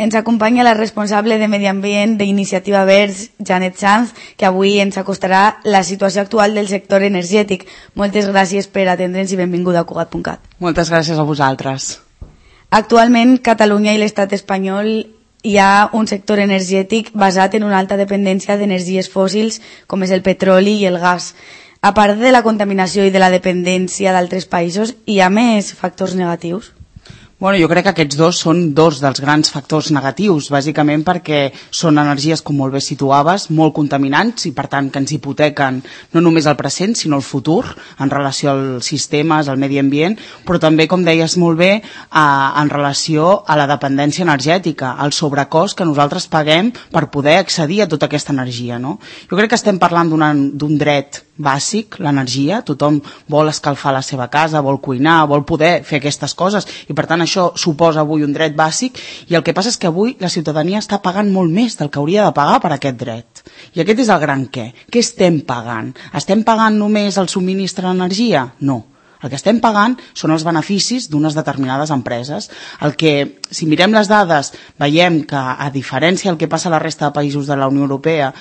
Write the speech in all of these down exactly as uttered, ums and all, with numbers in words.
Ens acompanya la responsable de Medi Ambient d'Iniciativa Verds, Janet Sanz, que avui ens acostarà la situació actual del sector energètic. Moltes gràcies per atendre'ns i benvinguda a Cugat punt cat. Moltes gràcies a vosaltres. Actualment, Catalunya i l'estat espanyol hi ha un sector energètic basat en una alta dependència d'energies fòssils, com és el petroli i el gas. A part de la contaminació i de la dependència d'altres països, hi ha més factors negatius? Bueno, jo crec que aquests dos són dos dels grans factors negatius, bàsicament perquè són energies, com molt bé situaves, molt contaminants i per tant que ens hipotequen no només el present sinó el futur en relació als sistemes, al medi ambient, però també, com deies molt bé, a, en relació a la dependència energètica, al sobrecost que nosaltres paguem per poder accedir a tota aquesta energia, no? Jo crec que estem parlant d'un dret bàsic, l'energia. Tothom vol escalfar la seva casa, vol cuinar, vol poder fer aquestes coses i per tant això suposa avui un dret bàsic i el que passa és que avui la ciutadania està pagant molt més del que hauria de pagar per aquest dret. I aquest és el gran què. Què estem pagant? Estem pagant només el subministre d'energia? No. El que estem pagant són els beneficis d'unes determinades empreses. El que, si mirem les dades, veiem que, a diferència del que passa a la resta de països de la Unió Europea,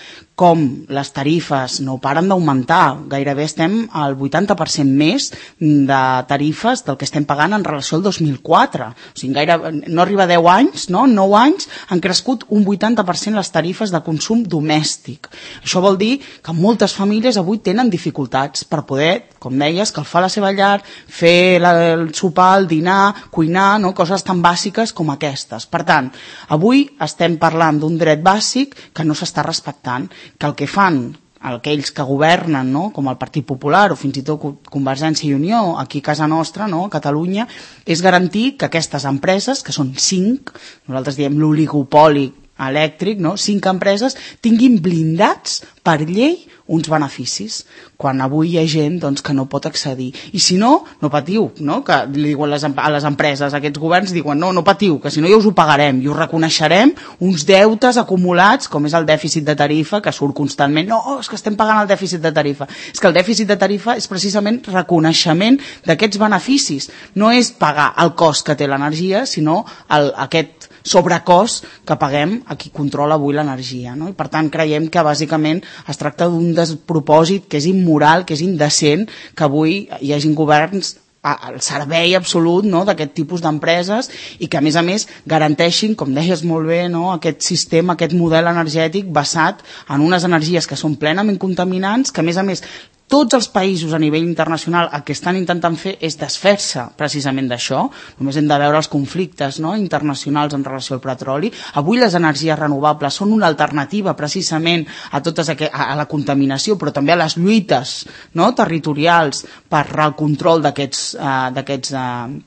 com les tarifes no paren d'augmentar, gairebé estem al vuitanta per cent més de tarifes del que estem pagant en relació al dos mil quatre. O sigui, gaire, no arriba a deu anys, no? En nou anys han crescut un vuitanta per cent les tarifes de consum domèstic. Això vol dir que moltes famílies avui tenen dificultats per poder, com deies, escalfar la seva llar, fer la, el sopar, el dinar, cuinar, no? Coses tan bàsiques com aquestes. Per tant, avui estem parlant d'un dret bàsic que no s'està respectant, que el que fan aquells que governen, no? Com el Partit Popular o fins i tot Convergència i Unió, aquí a casa nostra, no? A Catalunya, és garantir que aquestes empreses, que són cinc, nosaltres diem l'oligopoli elèctric, no? Cinc empreses, tinguin blindats per llei uns beneficis, quan avui hi ha gent doncs, que no pot accedir. I si no, no patiu, no? Que li diuen les, a les empreses, aquests governs diuen no, no patiu, que si no ja us ho pagarem i us reconeixerem uns deutes acumulats, com és el dèficit de tarifa, que surt constantment, no, és que estem pagant el dèficit de tarifa. És que el dèficit de tarifa és precisament reconeixement d'aquests beneficis. No és pagar el cost que té l'energia, sinó el, aquest sobrecost que paguem a qui controla avui l'energia, no? I per tant creiem que bàsicament es tracta d'un despropòsit que és immoral, que és indecent, que avui hi hagin governs al servei absolut, no? D'aquest tipus d'empreses i que a més a més garanteixin, com deies molt bé, no? Aquest sistema, aquest model energètic basat en unes energies que són plenament contaminants, que a més a més tots els països a nivell internacional el que estan intentant fer és desfer-se precisament d'això. Només hem de veure els conflictes, no? Internacionals en relació al petroli. Avui les energies renovables són una alternativa precisament a, totes aqu a la contaminació, però també a les lluites, no? Territorials per al control d'aquests uh, d'aquests uh,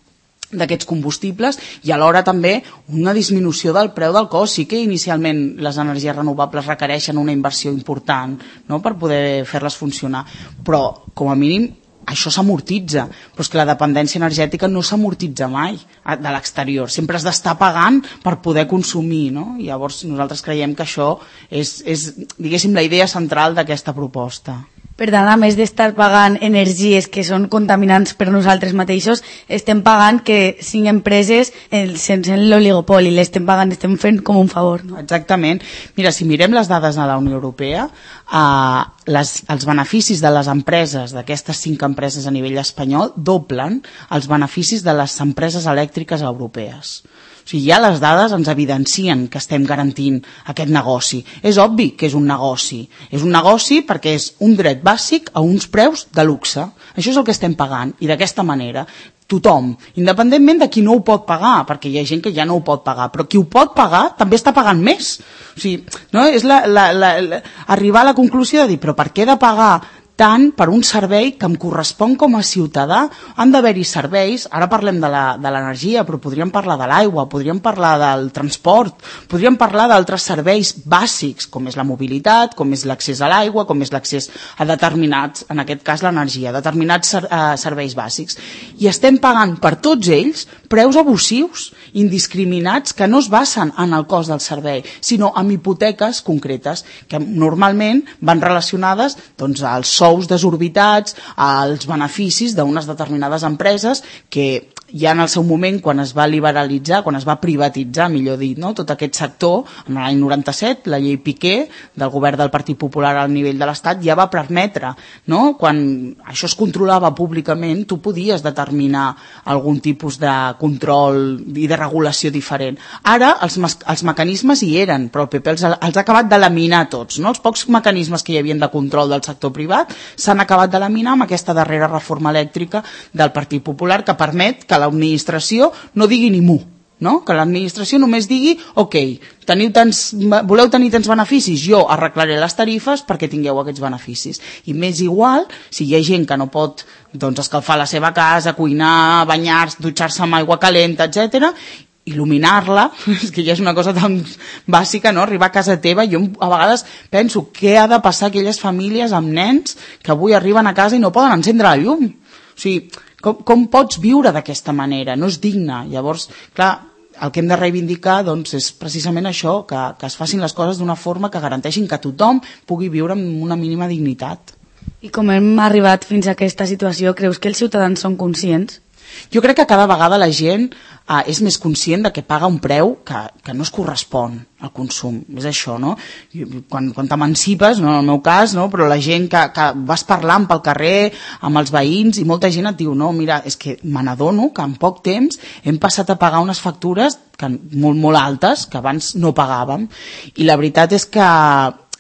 d'aquests combustibles i alhora també una disminució del preu del cost. Sí que inicialment les energies renovables requereixen una inversió important, no? Per poder fer-les funcionar, però com a mínim això s'amortitza, però és que la dependència energètica no s'amortitza mai de l'exterior, sempre has d'estar pagant per poder consumir, no? I llavors nosaltres creiem que això és, és diguéssim, la idea central d'aquesta proposta. Per tant, a més d'estar pagant energies que són contaminants per nosaltres mateixos, estem pagant que cinc empreses, sense l'oligopoli, l'estem pagant, estem fent com un favor, no? Exactament. Mira, si mirem les dades de la Unió Europea, eh, les, els beneficis de les empreses, d'aquestes cinc empreses a nivell espanyol, doblen els beneficis de les empreses elèctriques europees. O sigui, ja les dades ens evidencien que estem garantint aquest negoci. És obvi que és un negoci. És un negoci perquè és un dret bàsic a uns preus de luxe. Això és el que estem pagant i d'aquesta manera tothom, independentment de qui no ho pot pagar, perquè hi ha gent que ja no ho pot pagar, però qui ho pot pagar també està pagant més. O sigui, no? És la, la, la, la, arribar a la conclusió de dir, però per què he de pagar tant per un servei que em correspon com a ciutadà? Han d'haver-hi serveis, ara parlem de l'energia, però podríem parlar de l'aigua, podríem parlar del transport, podríem parlar d'altres serveis bàsics, com és la mobilitat, com és l'accés a l'aigua, com és l'accés a determinats, en aquest cas l'energia, determinats ser, uh, serveis bàsics. I estem pagant per tots ells preus abusius, indiscriminats, que no es basen en el cost del servei, sinó en hipoteques concretes, que normalment van relacionades doncs, als sous desorbitats, als beneficis d'unes determinades empreses que ja en el seu moment, quan es va liberalitzar, quan es va privatitzar, millor dit, no? Tot aquest sector, en l'any noranta-set, la llei Piqué, del govern del Partit Popular al nivell de l'Estat, ja va permetre, no? Quan això es controlava públicament, tu podies determinar algun tipus de control i de regulació diferent. Ara, els, els mecanismes hi eren, però el P P els, els ha acabat de laminar tots, no? Els pocs mecanismes que hi havia de control del sector privat s'han acabat de laminar amb aquesta darrera reforma elèctrica del Partit Popular, que permet que l'administració no digui ni mu, no? Que l'administració només digui, ok, teniu tants, voleu tenir tants beneficis, jo arreglaré les tarifes perquè tingueu aquests beneficis. I m'és igual si hi ha gent que no pot, doncs, escalfar la seva casa, cuinar, banyar-se, dutxar-se amb aigua calenta, etcètera, il·luminar-la, és que ja és una cosa tan bàsica, no? Arribar a casa teva, jo a vegades penso què ha de passar aquelles famílies amb nens que avui arriben a casa i no poden encendre la llum. O sigui, com, com pots viure d'aquesta manera? No és digne. Llavors, clar, el que hem de reivindicar, doncs, és precisament això, que, que es facin les coses d'una forma que garanteixin que tothom pugui viure amb una mínima dignitat. I com hem arribat fins a aquesta situació, creus que els ciutadans són conscients? Jo crec que cada vegada la gent eh, és més conscient de que paga un preu que, que no es correspon al consum. És això, no? Quan, quan t'emancipes, no, en el meu cas, no? Però la gent que, que vas parlant pel carrer amb els veïns i molta gent et diu, no, mira, és que me n'adono que en poc temps hem passat a pagar unes factures que, molt, molt altes que abans no pagàvem. I la veritat és que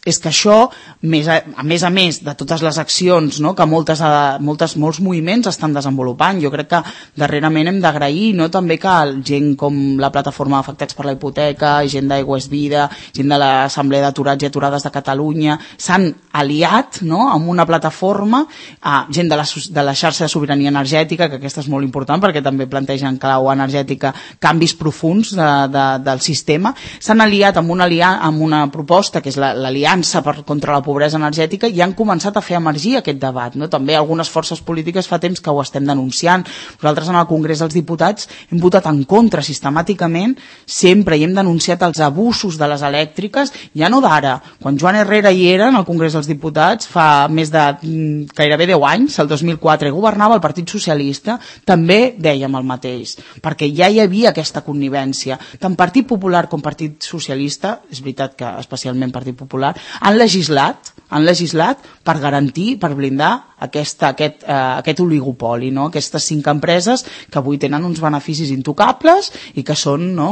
és que això, més a, a més a més de totes les accions, no, que moltes, moltes, molts moviments estan desenvolupant, jo crec que darrerament hem d'agrair, no, també que gent com la plataforma d'afectats per la hipoteca, gent d'Aigua és Vida, gent de l'Assemblea d'Aturats i Aturades de Catalunya, s'han aliat, no, amb una plataforma, eh, gent de la, de la xarxa de sobirania energètica, que aquesta és molt important perquè també plantegen clau energètica canvis profuns de, de, del sistema, s'han aliat amb una, amb una proposta que és l'aliança Per, contra la pobresa energètica i han començat a fer emergir aquest debat, no? També algunes forces polítiques fa temps que ho estem denunciant. Nosaltres en el Congrés dels Diputats hem votat en contra sistemàticament sempre i hem denunciat els abusos de les elèctriques, ja no d'ara, quan Joan Herrera hi era en el Congrés dels Diputats fa més de mm, gairebé deu anys, el dos mil quatre, governava el Partit Socialista, també dèiem el mateix, perquè ja hi havia aquesta connivència, tant Partit Popular com Partit Socialista, és veritat que especialment Partit Popular, han legislat, han legislat per garantir, per blindar aquesta, aquest, eh, aquest oligopoli, no? Aquestes cinc empreses que avui tenen uns beneficis intocables i que són, no,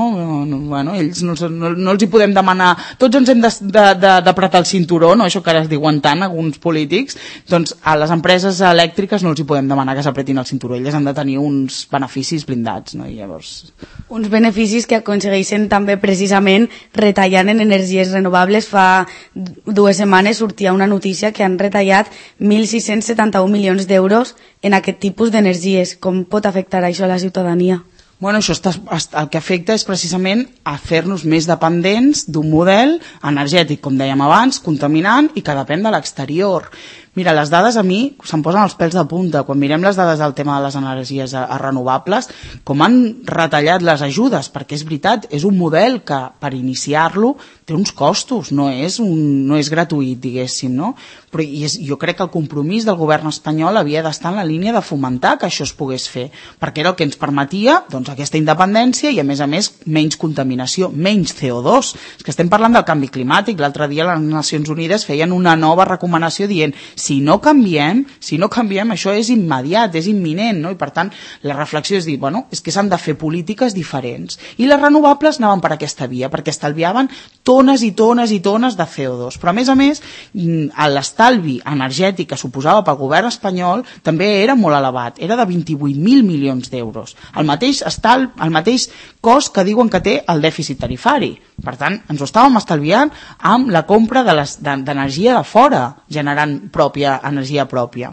no, bueno, ells no, no, no els hi podem demanar, tots ens hem d'apretar el cinturó, no? Això que ara es diuen tant alguns polítics, doncs a les empreses elèctriques no els hi podem demanar que s'apretin el cinturó, elles han de tenir uns beneficis blindats, no? I llavors... Uns beneficis que aconsegueixen també precisament retallant en energies renovables. Fa dues setmanes sortia una notícia que han retallat mil sis-cents setanta-un milions d'euros en aquest tipus d'energies. Com pot afectar això a la ciutadania? Bueno, això està, el que afecta és precisament a fer-nos més dependents d'un model energètic, com dèiem abans, contaminant i que depèn de l'exterior. Mira, les dades a mi se'm posen els pèls de punta. Quan mirem les dades del tema de les energies a, a renovables, com han retallat les ajudes, perquè és veritat, és un model que per iniciar-lo té uns costos, no és, un, no és gratuït, diguéssim, no? Però i és, jo crec que el compromís del govern espanyol havia d'estar en la línia de fomentar que això es pogués fer, perquè era el que ens permetia, doncs, aquesta independència i, a més a més, menys contaminació, menys C O dos. És que estem parlant del canvi climàtic. L'altre dia les Nacions Unides feien una nova recomanació dient si no canviem, si no canviem, això és immediat, és imminent, no? I per tant, la reflexió és dir, bueno, és que s'han de fer polítiques diferents. I les renovables anaven per aquesta via, perquè estalviaven tones i tones i tones de C O dos. Però a més a més, l'estalvi energètic que suposava pel govern espanyol també era molt elevat, era de vint-i-vuit mil milions d'euros. El mateix estal, el mateix cost que diuen que té el dèficit tarifari. Per tant, ens ho estàvem estalviant amb la compra d'energia de fora, generant pròpia energia pròpia.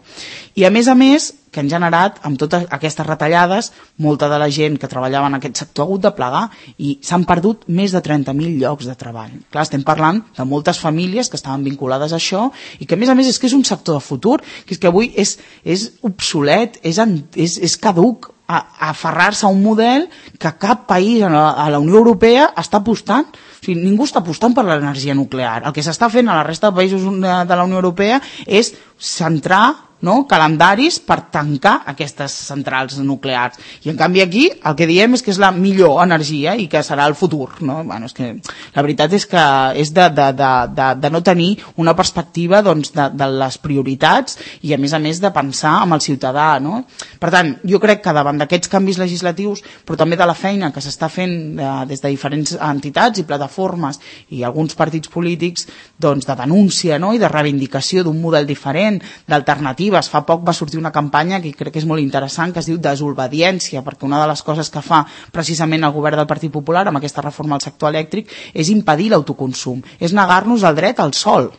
I a més a més, que han generat, amb totes aquestes retallades, molta de la gent que treballava en aquest sector ha hagut de plegar i s'han perdut més de trenta mil llocs de treball. Clar, estem parlant de moltes famílies que estaven vinculades a això i que a més a més és que és un sector de futur, que és que avui és, és obsolet, és, és, és caduc, a, a aferrar-se a un model que cap país a la, a la Unió Europea està apostant. O sigui, ningú està apostant per l'energia nuclear. El que s'està fent a la resta de països de la Unió Europea és centrar no? calendaris per tancar aquestes centrals nuclears. I en canvi aquí el que diem és que és la millor energia i que serà el futur. No? Bueno, és que la veritat és que és de, de, de, de, de no tenir una perspectiva doncs, de, de les prioritats i a més a més de pensar en el ciutadà. No? Per tant, jo crec que davant d'aquests canvis legislatius, però també de la feina que s'està fent de, des de diferents entitats i plataformes i alguns partits polítics doncs, de denúncia, no? I de reivindicació d'un model diferent, d'alternativa. Fa poc va sortir una campanya que crec que és molt interessant, que es diu desobediència, perquè una de les coses que fa precisament el govern del Partit Popular amb aquesta reforma al sector elèctric és impedir l'autoconsum, és negar-nos el dret al sol.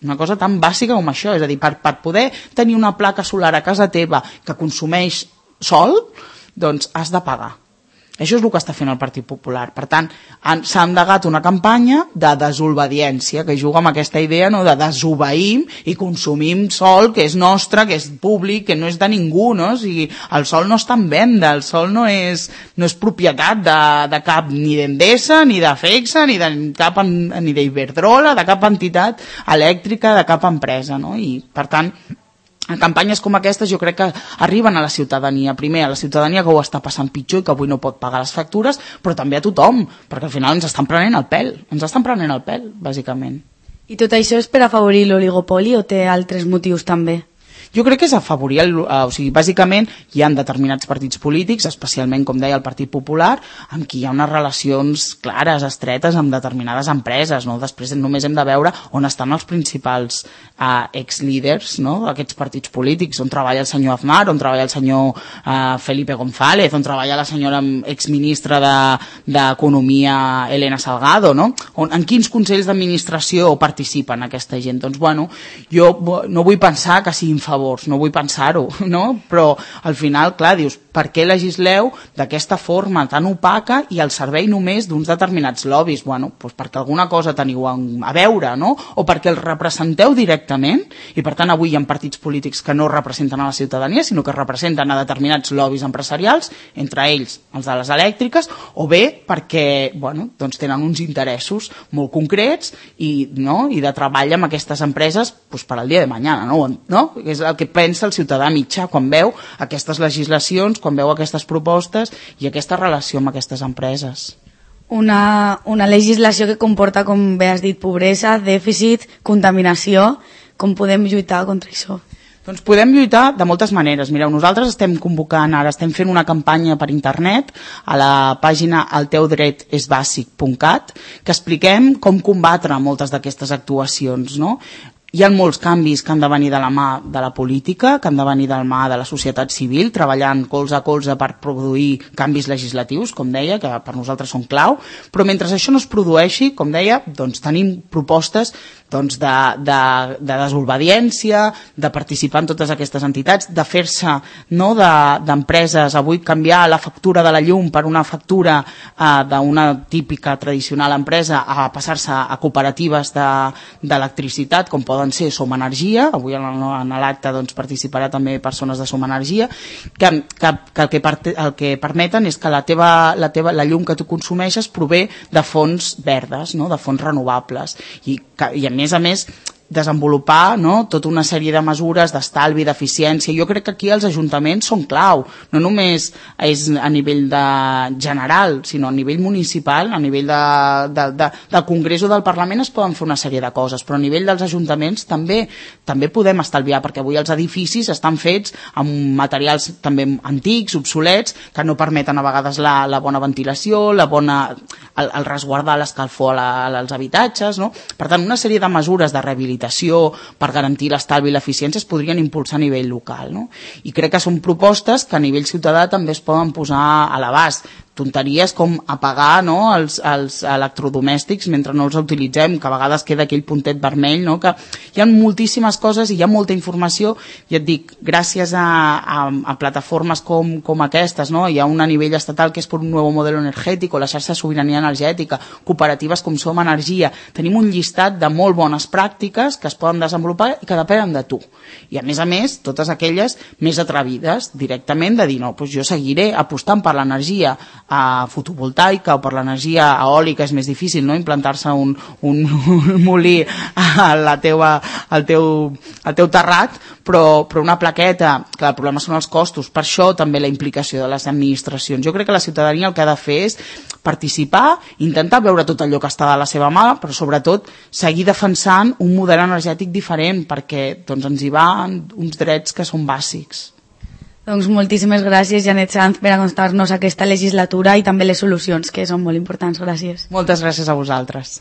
Una cosa tan bàsica com això, és a dir, per, per poder tenir una placa solar a casa teva que consumeix sol, doncs has de pagar. Això és el que està fent el Partit Popular. Per tant, s'ha endegat una campanya de desobediència, que juga amb aquesta idea, no?, de desobeïm i consumim sol que és nostre, que és públic, que no és de ningú. No? O sigui, el sol no està en venda, el sol no és, no és propietat de, de cap ni d'Endesa, ni de Fexa, ni de cap, ni d'Iberdrola, de cap entitat elèctrica, de cap empresa. No? I, per tant, campanyes com aquestes jo crec que arriben a la ciutadania, primer a la ciutadania que ho està passant pitjor i que avui no pot pagar les factures, però també a tothom, perquè al final ens estan prenent el pèl, ens estan prenent el pèl, bàsicament. I tot això és per afavorir l'oligopoli o té altres motius també? Jo crec que és afavorir, el, o sigui, bàsicament hi ha determinats partits polítics, especialment, com deia, el Partit Popular, amb qui hi ha unes relacions clares, estretes, amb determinades empreses. No? Després només hem de veure on estan els principals eh, ex-líders, no? Aquests partits polítics, on treballa el senyor Aznar, on treballa el senyor eh, Felipe González, on treballa la senyora exministra d'Economia de, Elena Salgado, no? On, en quins consells d'administració participen aquesta gent? Doncs, bueno, jo no vull pensar que siguin favors, no vull pensar-ho, no? Però al final, clar, dius, per què legisleu d'aquesta forma tan opaca i al servei només d'uns determinats lobbies? Bueno, doncs perquè alguna cosa teniu a veure, no? O perquè els representeu directament i per tant avui hi ha partits polítics que no representen a la ciutadania, sinó que representen a determinats lobbies empresarials, entre ells els de les elèctriques, o bé perquè, bueno, doncs tenen uns interessos molt concrets i, no? I de treball amb aquestes empreses doncs per al dia de mañana, no? No? És el que pensa el ciutadà mitjà quan veu aquestes legislacions, quan veu aquestes propostes i aquesta relació amb aquestes empreses. Una, una legislació que comporta, com bé has dit, pobresa, dèficit, contaminació. Com podem lluitar contra això? Doncs podem lluitar de moltes maneres. Mireu, nosaltres estem convocant, ara estem fent una campanya per internet a la pàgina el teu dret és bàsic punt cat que expliquem com combatre moltes d'aquestes actuacions, no? Hi ha molts canvis que han de venir de la mà de la política, que han de venir de la mà de la societat civil, treballant colze a colze per produir canvis legislatius, com deia, que per nosaltres són clau, però mentre això no es produeixi, com deia, doncs tenim propostes doncs, de, de, de desobediència, de participar en totes aquestes entitats, de fer-se, no, d'empreses, de, avui canviar la factura de la llum per una factura eh, d'una típica tradicional empresa a passar-se a cooperatives d'electricitat, com poden ser Som Energia, avui en l'acte doncs, participarà també persones de Som Energia, que, que, que, el, que per, el que permeten és que la, teva, la, teva, la llum que tu consumeixes prové de fonts verdes, no? De fonts renovables, i, que, i a més a més desenvolupar, no, tota una sèrie de mesures d'estalvi, d'eficiència. Jo crec que aquí els ajuntaments són clau, no només és a nivell de general, sinó a nivell municipal, a nivell de, de, de, del Congrés o del Parlament es poden fer una sèrie de coses, però a nivell dels ajuntaments també també podem estalviar, perquè avui els edificis estan fets amb materials també antics, obsolets, que no permeten a vegades la, la bona ventilació, la bona, el, el resguardar l'escalfor als habitatges, no? Per tant, una sèrie de mesures de rehabilitació per garantir l'estalvi i l'eficiència es podrien impulsar a nivell local, no? I crec que són propostes que a nivell ciutadà també es poden posar a l'abast. Tonteries com apagar, no, els, els electrodomèstics mentre no els utilitzem, que a vegades queda aquell puntet vermell, no? Que hi ha moltíssimes coses i hi ha molta informació, i et dic, gràcies a, a, a plataformes com, com aquestes, no? Hi ha un a nivell estatal que és per un nou model energètic, o la xarxa de sobirania energètica, cooperatives com Som Energia, tenim un llistat de molt bones pràctiques que es poden desenvolupar i que depenen de tu. I a més a més, totes aquelles més atrevides, directament de dir, no, doncs jo seguiré apostant per l'energia uh, fotovoltaica o per l'energia eòlica és més difícil, no? Implantar-se un, un, un molí a la teua, al, teu, al teu terrat, però, però una plaqueta, clar, el problema són els costos, per això també la implicació de les administracions. Jo crec que la ciutadania el que ha de fer és participar, intentar veure tot allò que està de la seva mà, però sobretot seguir defensant un model energètic diferent, perquè doncs, ens hi van uns drets que són bàsics. Doncs moltíssimes gràcies, Janet Sanz, per acostar-nos a aquesta legislatura i també les solucions, que són molt importants. Gràcies. Moltes gràcies a vosaltres.